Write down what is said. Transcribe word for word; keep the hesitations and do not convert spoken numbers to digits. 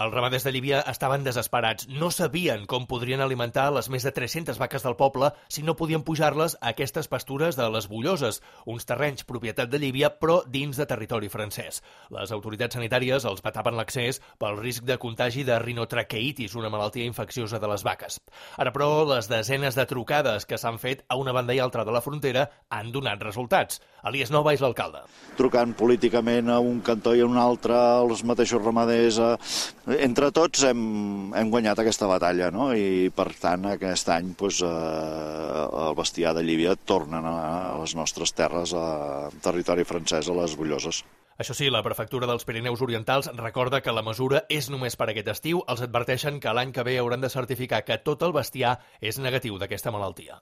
Els ramaders de Llívia estaven desesperats. No sabien com podrien alimentar les més de tres-centes vaques del poble si no podien pujar-les a aquestes pastures de les Bulloses, uns terrenys propietat de Llívia, però dins de territori francès. Les autoritats sanitàries els vetaven l'accés pel risc de contagi de rinotraqueitis, una malaltia infecciosa de les vaques. Ara, però, les desenes de trucades que s'han fet a una banda i altra de la frontera han donat resultats. Elias Nova és l'alcalde. Trucant políticament a un cantó i a un altre, els mateixos ramaders... Entre tots hem, hem guanyat aquesta batalla, no? I per tant aquest any doncs, eh, el bestiar de Llívia tornen a, a les nostres terres, a territori francès, a les Bulloses. Això sí, la prefectura dels Pirineus Orientals recorda que la mesura és només per aquest estiu. Els adverteixen que l'any que ve hauran de certificar que tot el bestiar és negatiu d'aquesta malaltia.